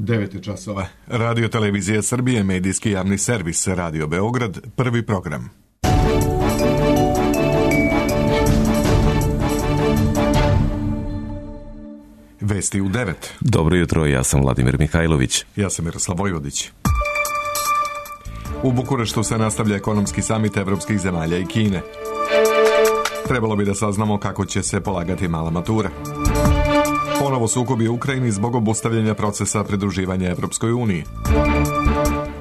9 časova. Radio Televizija Srbije, medijski javni servis Radio Beograd, prvi program. Vesti u 9. Dobro jutro, ja sam Vladimir Mihajlović. Ja sam Miroslav Vojvodić. U Bukureštu se nastavlja ekonomski samit evropskih zemalja i Kine. Trebalo bi da saznamo kako će se polagati mala matura. Ponovo sukobi u Ukrajini zbog obustavljanja procesa pridruživanja Evropskoj uniji.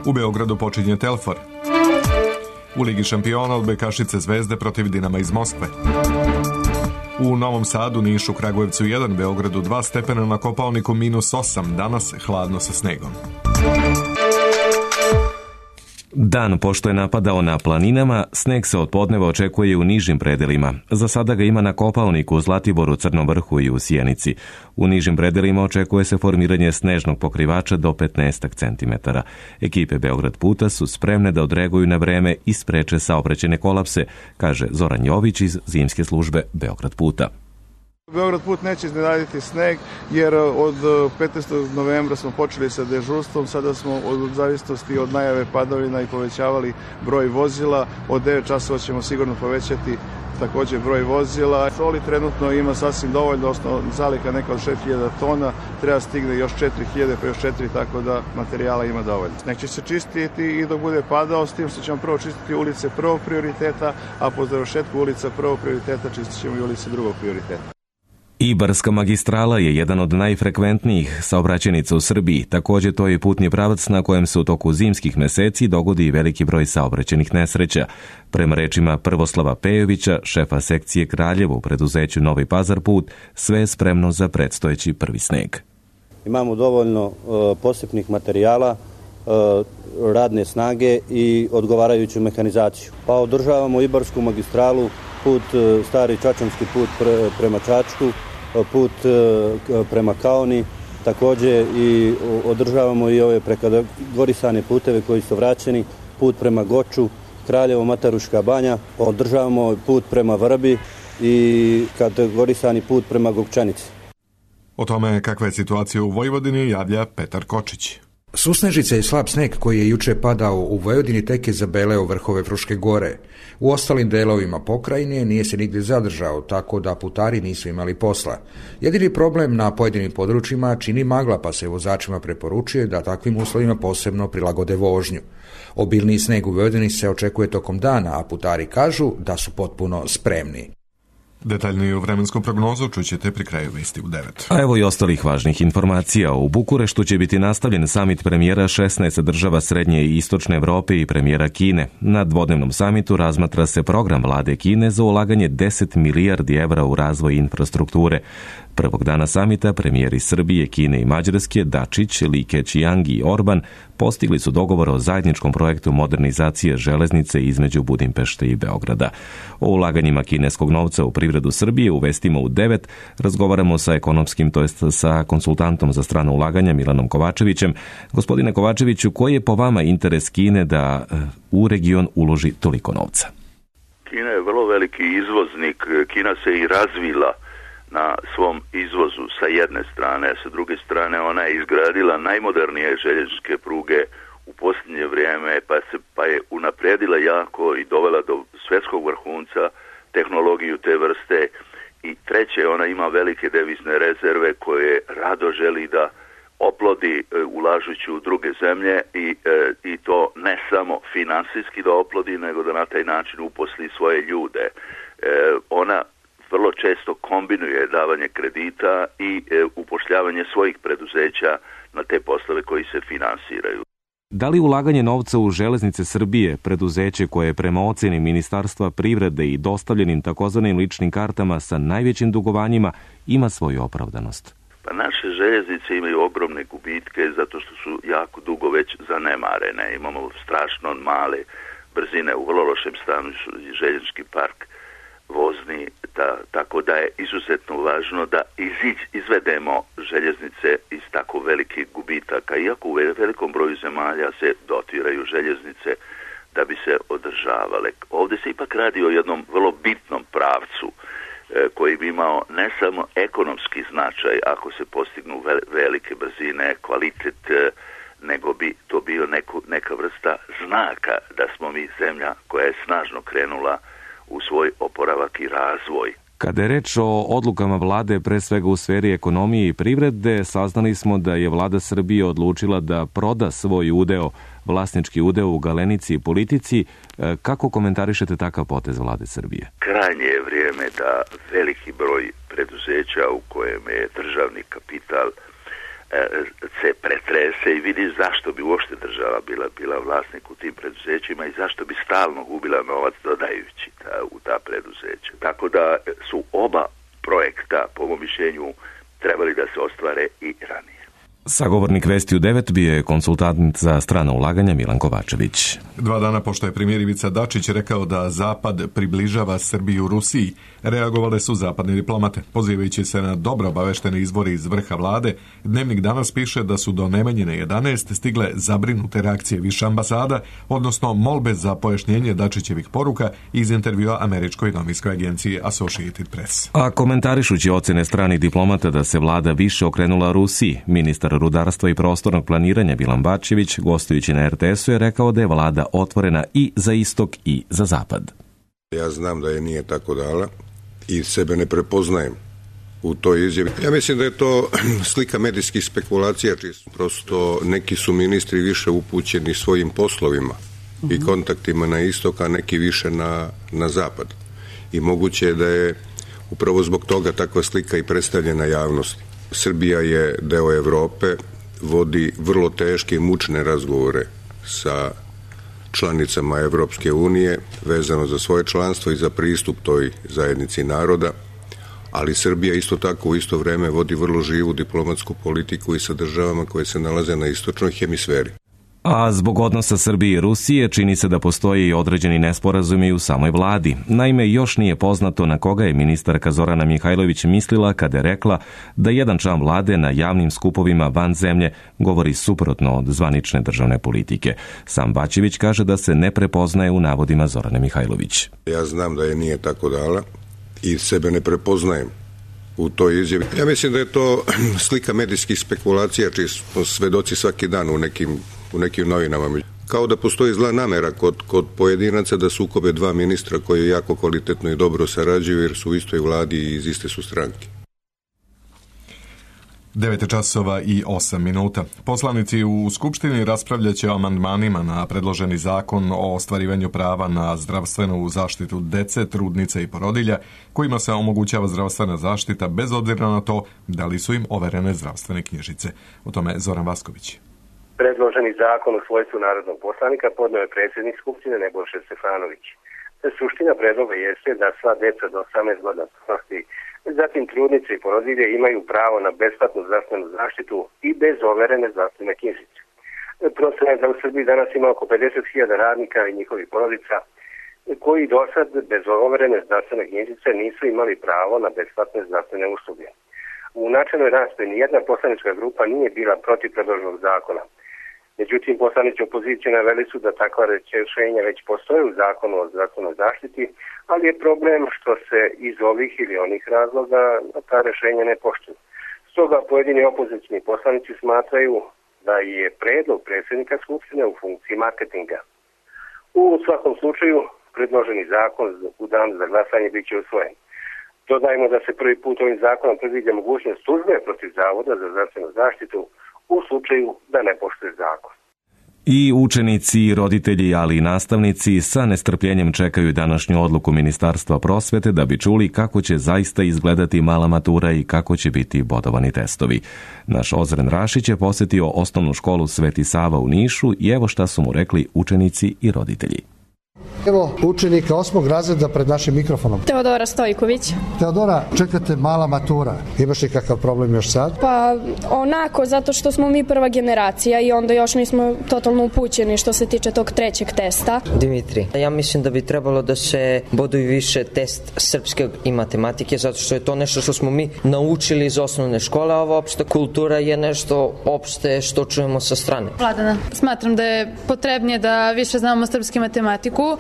U Beogradu počinje Telfor. U Ligi šampiona odbojkašice Zvezde protiv Dinama iz Moskve. U Novom Sadu, Nišu, Kragujevcu 1, Beogradu 2 stepena, na Kopaoniku -8, danas hladno sa snegom. Dan pošto je napadao na planinama, sneg se od podneva očekuje u nižim predelima. Za sada ga ima na Kopaoniku, Zlatiboru, Crnom Vrhu i u Sjenici. U nižim predelima očekuje se formiranje snežnog pokrivača do 15 cm. Ekipe Beograd puta su spremne da odreaguju na vreme i spreče saobraćajne kolapse, kaže Zoran Jović iz zimske službe Beograd puta. Beograd put neće iznenaditi sneg, jer od 15. novembra smo počeli sa dežurstvom, sada smo od zavisnosti od najave padavina i povećavali broj vozila. Od 9 časova ćemo sigurno povećati također broj vozila. Soli trenutno ima sasvim dovoljno, osnovno zalika neka od 6000 tona, treba stigne još 4000 pa još 4, tako da materijala ima dovoljno. Sneg će se čistiti i dok bude padao, s tim što ćemo prvo čistiti ulice prvog prioriteta, a po završetku ulica prvog prioriteta čistit ćemo i ulice drugog prioriteta. Ibarska magistrala je jedan od najfrekventnijih saobraćajnica u Srbiji. Također to je putni pravac na kojem se u toku zimskih meseci dogodi i veliki broj saobraćajnih nesreća. Prema rečima Prvoslava Pejovića, šefa sekcije Kraljevo u preduzeću Novi Pazar put, sve je spremno za predstojeći prvi sneg. Imamo dovoljno posipnih materijala, radne snage i odgovarajuću mehanizaciju. Pa održavamo Ibarsku magistralu, put, stari čačanski put prema Čačku, put prema Kaoni, također i održavamo i ove prekategorisane puteve koji su vraćeni, put prema Goču, Kraljevo, Mataruška banja, održavamo put prema Vrbi i kategorisani put prema Gokčanici. O tome kakva je situacija u Vojvodini javlja Petar Kočić. Susnežica i slab sneg koji je juče padao u Vojvodini tek je zabeleo vrhove Fruške gore. U ostalim delovima pokrajine nije se nigdje zadržao, tako da putari nisu imali posla. Jedini problem na pojedinim područjima čini magla, pa se vozačima preporučuje da takvim uslovima posebno prilagode vožnju. Obilniji sneg u Vojvodini se očekuje tokom dana, a putari kažu da su potpuno spremni. Detaljniju vremensku prognozu čućete pri kraju vesti u 9. A evo i ostalih važnih informacija. U Bukureštu će biti nastavljen samit premijera 16 država Srednje i Istočne Evrope i premijera Kine. Na dvodnevnom samitu razmatra se program vlade Kine za ulaganje 10 milijardi evra u razvoj infrastrukture. Prvog dana samita premijeri Srbije, Kine i Mađarske Dačić, Li Keqiang i Orban postigli su dogovor o zajedničkom projektu modernizacije železnice između Budimpešte i Beograda. O ulaganjima kineskog novca u privredu Srbije u vestima u 9 razgovaramo sa ekonomskim, to jest sa konsultantom za strano ulaganja Milanom Kovačevićem. Gospodine Kovačeviću, koji je po vama interes Kine da u region uloži toliko novca? Kina je vrlo veliki izvoznik. Kina se i razvila na svom izvozu sa jedne strane, a sa druge strane ona je izgradila najmodernije željezničke pruge u posljednje vrijeme, pa je unaprijedila jako i dovela do svjetskog vrhunca tehnologiju te vrste. I treće, ona ima velike devizne rezerve koje rado želi da oplodi ulažući u druge zemlje i to ne samo finansijski da oplodi, nego da na taj način uposli svoje ljude. Ona vrlo često kombinuje davanje kredita i upošljavanje svojih preduzeća na te poslove koji se finansiraju. Da li ulaganje novca u železnice Srbije, preduzeće koje je prema ocjeni Ministarstva privrede i dostavljenim takozvanim ličnim kartama sa najvećim dugovanjima, ima svoju opravdanost? Pa naše željeznice imaju ogromne gubitke zato što su jako dugo već zanemarene. Imamo strašno male brzine, u vrlo lošem stanju željeznički park vozni, tako da je izuzetno važno da izvedemo željeznice iz tako velikih gubitaka. Iako u velikom broju zemalja se dotiraju željeznice da bi se održavale. Ovdje se ipak radi o jednom vrlo bitnom pravcu koji bi imao ne samo ekonomski značaj ako se postignu velike brzine, kvalitet, nego bi to bio neka vrsta znaka da smo mi zemlja koja je snažno krenula u svoj oporavak i razvoj. Kada je reč o odlukama vlade, pre svega u sferi ekonomije i privrede, saznali smo da je vlada Srbije odlučila da proda svoj udeo, vlasnički udeo u Galenici i Politici. Kako komentarišete takav potez vlade Srbije? Krajnje je vrijeme da veliki broj preduzeća u kojem je državni kapital se pretrese i vidi zašto bi uopšte država bila vlasnik u tim preduzećima i zašto bi stalno gubila novac dodajući u ta preduzeća. Tako da su oba projekta, po mom mišljenju, trebali da se ostvare i ranije. Sagovornik Vesti u 9 bio je konsultant za strana ulaganja Milan Kovačević. 2 dana pošto je premijer Ivica Dačić rekao da Zapad približava Srbiju Rusiji, reagovale su zapadne diplomate. Pozivajući se na dobro obaveštene izvore iz vrha vlade, Dnevnik danas piše da su do Nemanjine 11 stigle zabrinute reakcije više ambasada, odnosno molbe za pojašnjenje Dačićevih poruka iz intervjua američkoj novinskoj agenciji Associated Press. A komentarišući ocene stranih diplomata da se vlada više okrenula Rusiji, ministar rudarstva i prostornog planiranja Milan Bačević, gostujući na RTS-u, je rekao da je vlada otvorena i za istok i za zapad. Ja znam da je nije tako dala i sebe ne prepoznajem u toj izjavi. Ja mislim da je to slika medijskih spekulacija, čisto prosto neki su ministri više upućeni svojim poslovima i kontaktima na istok, a neki više na zapad. I moguće je da je upravo zbog toga takva slika i predstavljena javnosti. Srbija je deo Evrope, vodi vrlo teške i mučne razgovore sa članicama Evropske unije vezano za svoje članstvo i za pristup toj zajednici naroda, ali Srbija isto tako u isto vreme vodi vrlo živu diplomatsku politiku i sa državama koje se nalaze na istočnoj hemisferi. A zbog odnosa Srbije i Rusije čini se da postoji i određeni nesporazumi u samoj vladi. Naime, još nije poznato na koga je ministarka Zorana Mihajlović mislila kada je rekla da jedan član vlade na javnim skupovima van zemlje govori suprotno od zvanične državne politike. Sam Bačević kaže da se ne prepoznaje u navodima Zorane Mihajlović. Ja znam da je nije tako dala i sebe ne prepoznajem u toj izjavi. Ja mislim da je to slika medijskih spekulacija, čiji smo svedoci svaki dan u nekim novinama. Kao da postoji zla namera kod pojedinaca da sukobe 2 ministra koji jako kvalitetno i dobro sarađuju jer su u istoj vladi i iz iste su stranke. 9:08. Poslanici u Skupštini raspravljaće o amandmanima na predloženi zakon o ostvarivanju prava na zdravstvenu zaštitu dece, trudnica i porodilja, kojima se omogućava zdravstvena zaštita bez obzira na to da li su im overene zdravstvene knjižice. O tome Zoran Vasković. Predloženi zakon u svojstvu narodnog poslanika podneo je predsjednik Skupštine Nebojša Stefanović. Suština predloga jeste da sva deca do 18 godina starosti, zatim trudnice i porodilje imaju pravo na besplatnu zdravstvenu zaštitu i bez overene zdravstvene knjižice. Procena je da u Srbiji danas ima oko 50.000 radnika i njihovih porodica koji do sad bez overene zdravstvene knjižice nisu imali pravo na besplatne zdravstvene usluge. U načelnoj raspravi nijedna poslanička grupa nije bila protiv predloženog zakona. Međutim, poslanici opozicije naveli su da takva rješenja već postoje u zakonu o zdravstvenoj zaštiti, ali je problem što se iz ovih ili onih razloga ta rješenja ne poštuju. Stoga pojedini opozicioni poslanici smatraju da je predlog predsjednika Skupštine u funkciji marketinga. U svakom slučaju, predloženi zakon u dan za glasanje bit će usvojen. Dodajmo da se prvi put ovim zakonom predviđa mogućnost tužbe protiv Zavoda za zdravstvenu zaštitu u slučaju da ne poštuje zakon. I učenici, roditelji, ali i nastavnici sa nestrpljenjem čekaju današnju odluku Ministarstva prosvete da bi čuli kako će zaista izgledati mala matura i kako će biti bodovani testovi. Naš Ozren Rašić je posjetio osnovnu školu Sveti Sava u Nišu i evo šta su mu rekli učenici i roditelji. Evo učenika 8. razreda pred našim mikrofonom. Teodora Stojković. Teodora, čekate mala matura. Imaš li kakav problem još sad? Pa onako, zato što smo mi prva generacija i onda još nismo totalno upućeni što se tiče tog 3. testa. Dimitri, ja mislim da bi trebalo da se boduju više test srpske i matematike, zato što je to nešto što smo mi naučili iz osnovne škole, a ova opšta kultura je nešto opšte što čujemo sa strane. Vladana, smatram da je potrebnije da više znamo srpsku matematiku.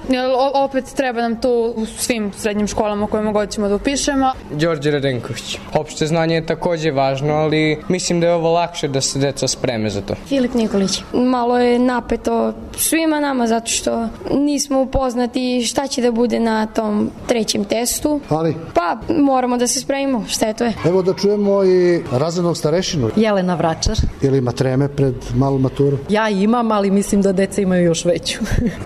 Opet treba nam to u svim srednjim školama kojima god ćemo da upišemo. Đorđe Radenković. Opšte znanje je takođe važno, ali mislim da je ovo lakše da se deca spreme za to. Filip Nikolić. Malo je napeto svima nama zato što nismo upoznati šta će da bude na tom trećem testu. Ali? Pa moramo da se spremimo, šta je to je. Evo da čujemo i razrednog starešinu. Jelena Vračar. Ili ima treme pred malu maturu? Ja imam, ali mislim da deca imaju još veću.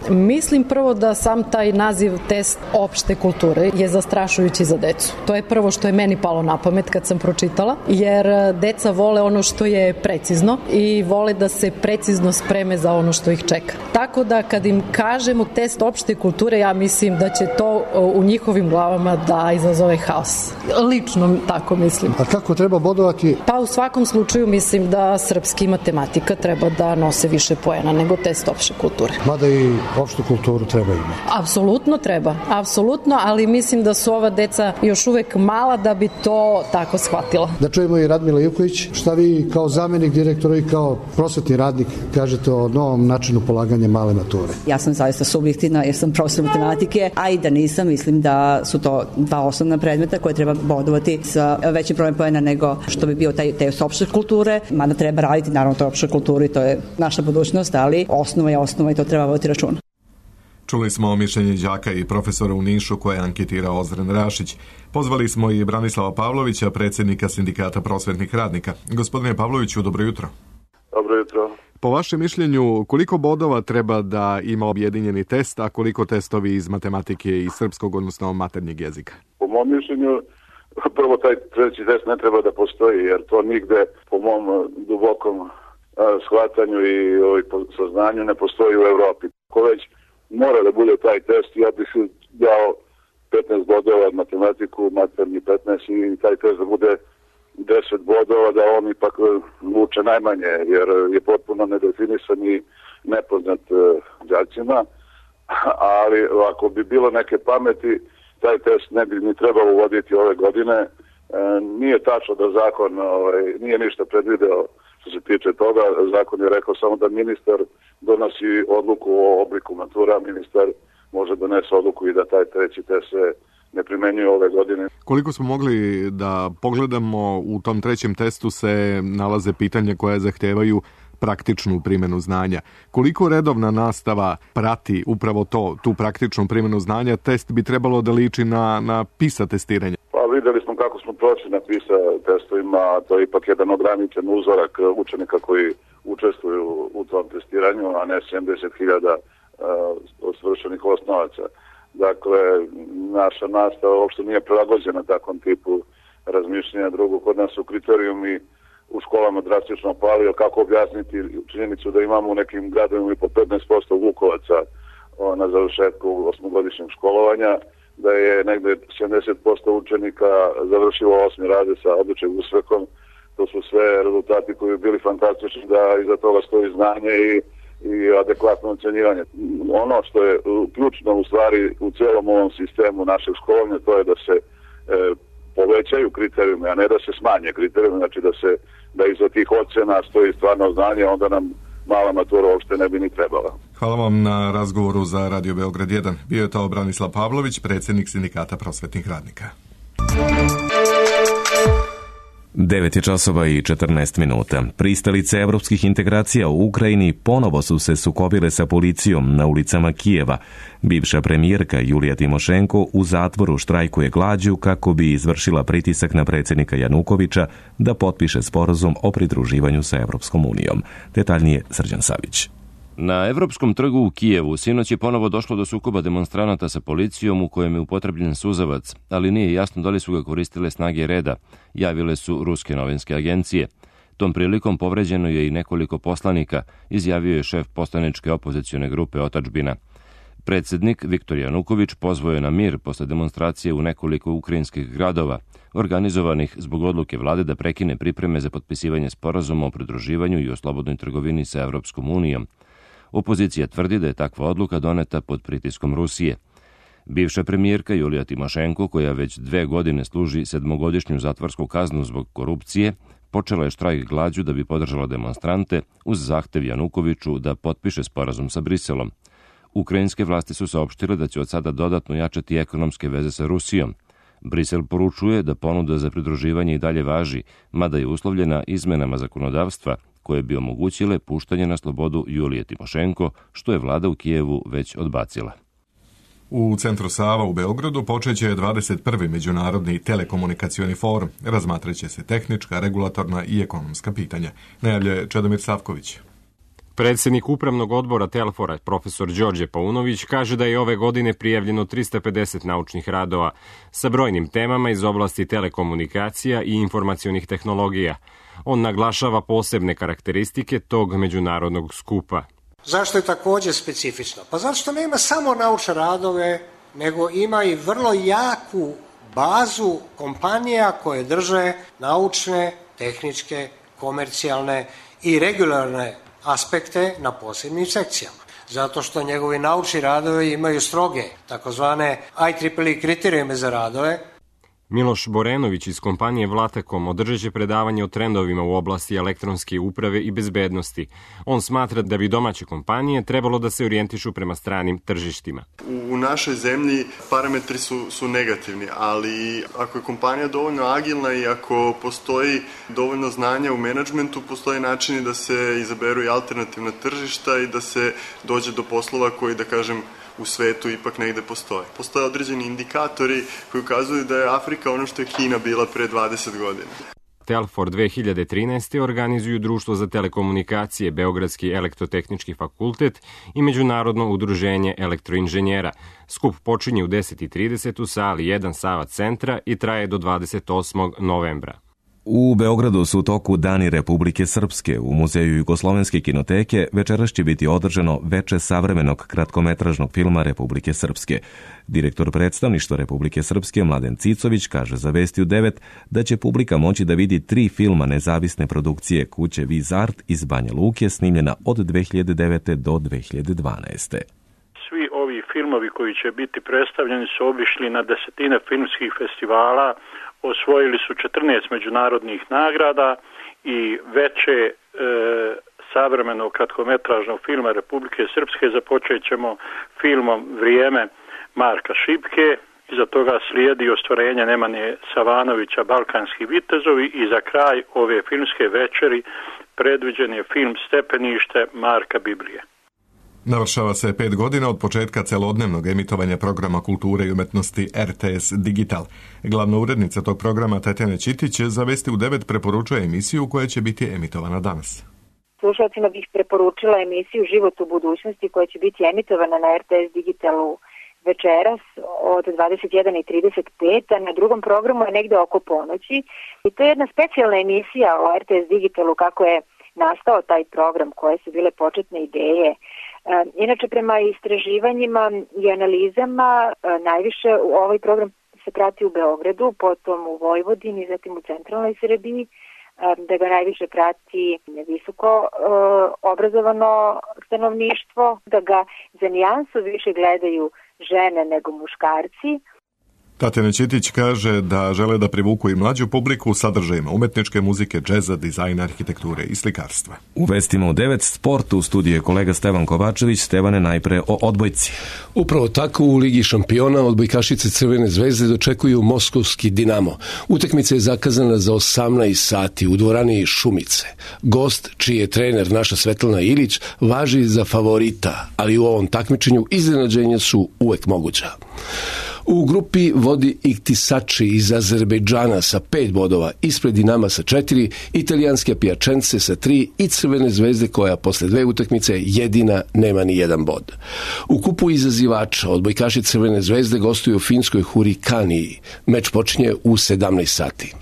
Mislim prvo da sam taj naziv test opšte kulture je zastrašujući za decu. To je prvo što je meni palo na pamet kad sam pročitala, jer deca vole ono što je precizno i vole da se precizno spreme za ono što ih čeka. Tako da kad im kažemo test opšte kulture, ja mislim da će to u njihovim glavama da izazove haos. Lično tako mislim. A kako treba bodovati? Pa u svakom slučaju mislim da srpski i matematika treba da nose više poena nego test opšte kulture. Mada i opštu kulturu treba imati. Apsolutno treba, apsolutno, ali mislim da su ova deca još uvek mala da bi to tako shvatila. Da čujemo i Radmila Ivković, šta vi kao zamenik direktora i kao prosvetni radnik kažete o novom načinu polaganja male mature? Ja sam zaista subjektivna jer sam profesor matematike, a i da nisam, mislim da su to dva osnovna predmeta koje treba bodovati sa većim brojem poena nego što bi bio taj test opšte kulture, mada treba raditi naravno to opšte kulturi, to je naša budućnost, ali osnova je osnova i to treba voditi računa. Čuli smo mišljenje đaka i profesora u Nišu koje je anketirao Ozren Rašić. Pozvali smo i Branislava Pavlovića, predsjednika Sindikata prosvetnih radnika. Gospodine Pavloviću, dobro jutro. Dobro jutro. Po vašem mišljenju, koliko bodova treba da ima objedinjeni test, a koliko testovi iz matematike i srpskog, odnosno maternjeg jezika? Po mom mišljenju, prvo taj treći test ne treba da postoji, jer to nigde po mom dubokom shvatanju i saznanju ne postoji u Evropi. Ko već mora da bude taj test, ja bih dao 15 bodova matematiku, maternji 15 i taj test da bude 10 bodova, da on ipak vuče najmanje, jer je potpuno nedefinisan i nepoznat đacima, ali ako bi bilo neke pameti, taj test ne bi ni trebalo uvoditi ove godine. Nije tačno da zakon nije ništa predvideo što se tiče toga. Zakon je rekao samo da ministar donosi odluku o obliku matura, ministar može donesi odluku i da taj treći test se ne primenjuje ove godine. Koliko smo mogli da pogledamo, u tom trećem testu se nalaze pitanja koja zahtevaju praktičnu primjenu znanja. Koliko redovna nastava prati upravo tu praktičnu primjenu znanja? Test bi trebalo da liči na PISA testiranje. Pa videli smo kako smo prošli na PISA testovima, to je ipak jedan ograničen uzorak učenika koji učestvuju u tom testiranju, a ne 70.000 svršenih osnovaca. Dakle, naša nastava uopšte nije prilagođena takvom tipu razmišljanja. Drugo, kod nas su kriterijumi u školama drastično pali, kako objasniti činjenicu da imamo u nekim gradovima i po 15% Vukovaca na završetku osmogodišnjeg školovanja, da je negde 70% učenika završilo 8. razred sa odličnim uspehom. To su sve rezultati koji bi bili fantastični da iza toga stoji znanje i adekvatno ocenjivanje. Ono što je ključno u stvari u celom ovom sistemu našeg školovanja, to je da se povećaju kriterijumi, a ne da se smanje kriterijumi, znači da iza tih ocena stoji stvarno znanje, onda nam mala matura uopšte ne bi ni trebala. Hvala vam na razgovoru za Radio Beograd 1. Bio je to Branislav Pavlović, predsjednik Sindikata prosvetnih radnika. 9 je časova i 14 minuta. Pristalice evropskih integracija u Ukrajini ponovo su se sukobile sa policijom na ulicama Kijeva. Bivša premijerka Julija Timošenko u zatvoru štrajkuje glađu kako bi izvršila pritisak na predsjednika Janukovića da potpiše sporazum o pridruživanju sa Evropskom unijom. Detaljnije Srđan Savić. Na Evropskom trgu u Kijevu sinoć je ponovo došlo do sukoba demonstranata sa policijom u kojem je upotrebljen suzavac, ali nije jasno da li su ga koristile snage reda, javile su ruske novinske agencije. Tom prilikom povređeno je i nekoliko poslanika, izjavio je šef poslaničke opozicione grupe Otadžbina. Predsjednik Viktor Januković pozvao je na mir posle demonstracije u nekoliko ukrajinskih gradova, organizovanih zbog odluke vlade da prekine pripreme za potpisivanje sporazuma o pridruživanju i o slobodnoj trgovini sa Evropskom unijom. Opozicija tvrdi da je takva odluka doneta pod pritiskom Rusije. Bivša premijerka Julija Timošenko, koja već 2 godine služi 7-godišnju zatvorsku kaznu zbog korupcije, počela je štrajk glađu da bi podržala demonstrante uz zahtev Janukoviću da potpiše sporazum sa Briselom. Ukrajinske vlasti su saopštile da će od sada dodatno jačati ekonomske veze sa Rusijom. Brisel poručuje da ponuda za pridruživanje i dalje važi, mada je uslovljena izmenama zakonodavstva koje bi omogućile puštanje na slobodu Julije Timošenko, što je vlada u Kijevu već odbacila. U Centru Sava u Beogradu počeće 21. Međunarodni telekomunikacioni forum. Razmatraće se tehnička, regulatorna i ekonomska pitanja. Najavljuje Čedomir Savković. Predsjednik Upravnog odbora Telfora, profesor Đorđe Paunović, kaže da je ove godine prijavljeno 350 naučnih radova sa brojnim temama iz oblasti telekomunikacija i informacionih tehnologija. On naglašava posebne karakteristike tog međunarodnog skupa. Zašto je također specifično? Pa zato što nema samo naučne radove, nego ima i vrlo jaku bazu kompanija koje drže naučne, tehničke, komercijalne i regularne aspekte na posebnim sekcijama. Zato što njegovi naučni radovi imaju stroge, takozvane IEEE kriterijume za radove. Miloš Borenović iz kompanije Vlatekom održat će predavanje o trendovima u oblasti elektronske uprave i bezbednosti. On smatra da bi domaće kompanije trebalo da se orijentišu prema stranim tržištima. U našoj zemlji parametri su negativni, ali ako je kompanija dovoljno agilna i ako postoji dovoljno znanja u menadžmentu, postoje načini da se izaberu i alternativna tržišta i da se dođe do poslova koji, da kažem, u svetu ipak negde postoje. Postoje određeni indikatori koji ukazuju da je Afrika ono što je Kina bila pre 20 godina. Telfor 2013. organizuju Društvo za telekomunikacije, Beogradski elektrotehnički fakultet i Međunarodno udruženje elektroinženjera. Skup počinje u 10:30 u sali 1 Sava centra i traje do 28. novembra. U Beogradu su u toku Dani Republike Srpske. U Muzeju Jugoslovenske kinoteke večeras će biti održano veče savremenog kratkometražnog filma Republike Srpske. Direktor predstavništva Republike Srpske Mladen Cicović kaže za Vesti u 9 da će publika moći da vidi 3 filma nezavisne produkcije kuće Vizart iz Banja Luke, snimljena od 2009. do 2012. Svi ovi filmovi koji će biti predstavljeni su obišli na desetine filmskih festivala, osvojili su 14 međunarodnih nagrada i veće savremenog kratkometražnog filma Republike Srpske započet ćemo filmom Vrijeme Marka Šipke, iza toga slijedi ostvarenje Nemanje Savanovića Balkanski vitezovi i za kraj ove filmske večeri predviđen je film Stepenište Marka Biblije. Navršava se 5 godina od početka celodnevnog emitovanja programa kulture i umetnosti RTS Digital. Glavna urednica tog programa Tatjana Ćitić za Vesti u 9 preporučuje emisiju koja će biti emitovana danas. Slušalcima bih preporučila emisiju Život u budućnosti koja će biti emitovana na RTS Digitalu večeras od 21:35, a na drugom programu je negde oko ponoći. I to je jedna specijalna emisija o RTS Digitalu, kako je nastao taj program, koje su bile početne ideje. Inače, prema istraživanjima i analizama, najviše ovaj program se prati u Beogradu, potom u Vojvodini, zatim u centralnoj Srbiji, da ga najviše prati visoko obrazovano stanovništvo, da ga za nijansu više gledaju žene nego muškarci. Tatjana Ćitić kaže da žele da privuku i mlađu publiku sadržajima umetničke muzike, džeza, dizajna, arhitekture i slikarstva. U Vestima u 9 sport u studiju je kolega Stevan Kovačević. Stevane, najpre o odbojci. Upravo tako u Ligi šampiona odbojkašice Crvene zvezde dočekuju moskovski Dinamo. Utakmica je zakazana za 18 sati u dvorani Šumice. Gost, čiji je trener naša Svetlana Ilić, važi za favorita, ali u ovom takmičenju iznenađenja su uvek moguća. U grupi vodi Iktisači iz Azerbejdžana sa 5 bodova, ispred Dinama sa 4, italijanske Piacenze sa 3 i Crvene zvezde koja posle 2 utakmice jedina nema ni jedan bod. U kupu izazivača odbojkaši Crvene zvezde gostuju u finskoj Hurikaniji. Meč počinje u 17 sati.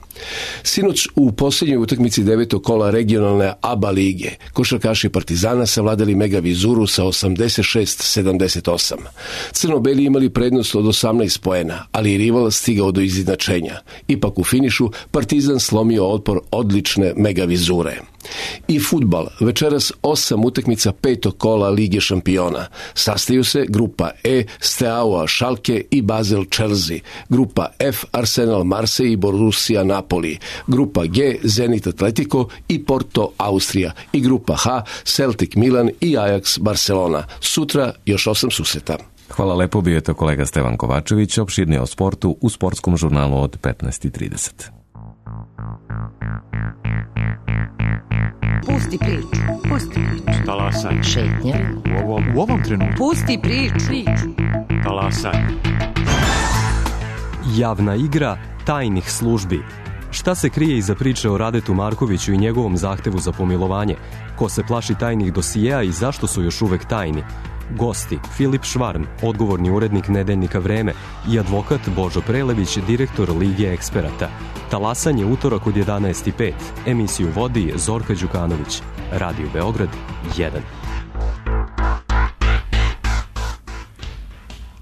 Sinoć u posljednjoj utakmici 9. kola regionalne ABA lige košarkaši Partizana savladali Mega Vizuru sa 86-78. Crno-beli imali prednost od 18 poena, ali i rival stigao do izjednačenja. Ipak u finišu Partizan slomio otpor odlične Mega Vizure. I fudbal, večeras 8 utakmica 5. kola Lige šampiona. Sastaju se grupa E, Steaua Schalke i Basel Chelsea, grupa F, Arsenal Marseille i Borussia Napoli, grupa G, Zenit Atletico i Porto Austrija i grupa H, Celtic Milan i Ajax Barcelona. Sutra još 8 susreta. Hvala lepo, bio je to kolega Stevan Kovačević, opširnije o sportu u sportskom žurnalu od 15:30. Pusti priču. Talasaj. Šetnja. U ovom trenutku. Pusti priču. Talasaj. Javna igra tajnih službi. Šta se krije iza priče o Radetu Markoviću i njegovom zahtevu za pomilovanje? Ko se plaši tajnih dosijeja i zašto su još uvek tajni? Gosti: Filip Švarm, odgovorni urednik nedeljnika Vreme, i advokat Božo Prelević, direktor Lige eksperata. Talasanje utorak od 11:05. Emisiju vodi Zorka Đukanović. Radio Beograd 1.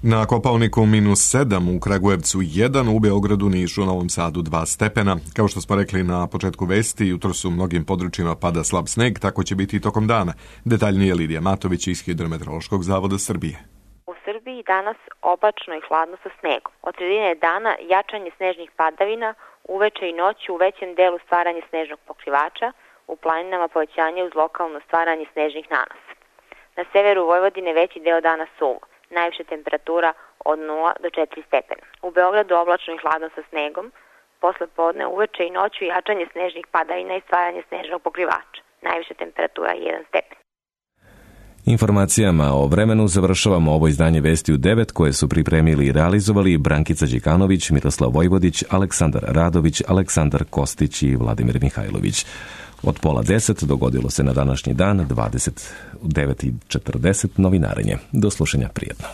Na Kopaoniku -7, u Kragujevcu 1, u Beogradu, Nišu, Novom Sadu 2 stepena. Kao što smo rekli na početku vesti, jutro su u mnogim područjima pada slab sneg, tako će biti i tokom dana. Detaljnije Lidija Matović iz Hidrometeorološkog zavoda Srbije. U Srbiji danas oblačno i hladno sa snegom. Od sredine dana jačanje snežnih padavina, uveče i noću u većem delu stvaranje snežnog pokrivača, u planinama povećanje uz lokalno stvaranje snežnih nanasa. Na severu Vojvodine veći deo dana suvo. Najviša temperatura od 0 do 4 stepena. U Beogradu oblačno i hladno sa snegom, posle podne uveče i noću jačanje snežnih padavina i stvaranje snežnog pokrivača. Najviša temperatura 1 stepen. Informacijama o vremenu završavamo ovo izdanje Vesti u 9 koje su pripremili i realizovali Brankica Đikanović, Miroslav Vojvodić, Aleksandar Radović, Aleksandar Kostić i Vladimir Mihajlović. Od 9:30 dogodilo se na današnji dan 29:40 novinarenje. Do slušanja, prijetno.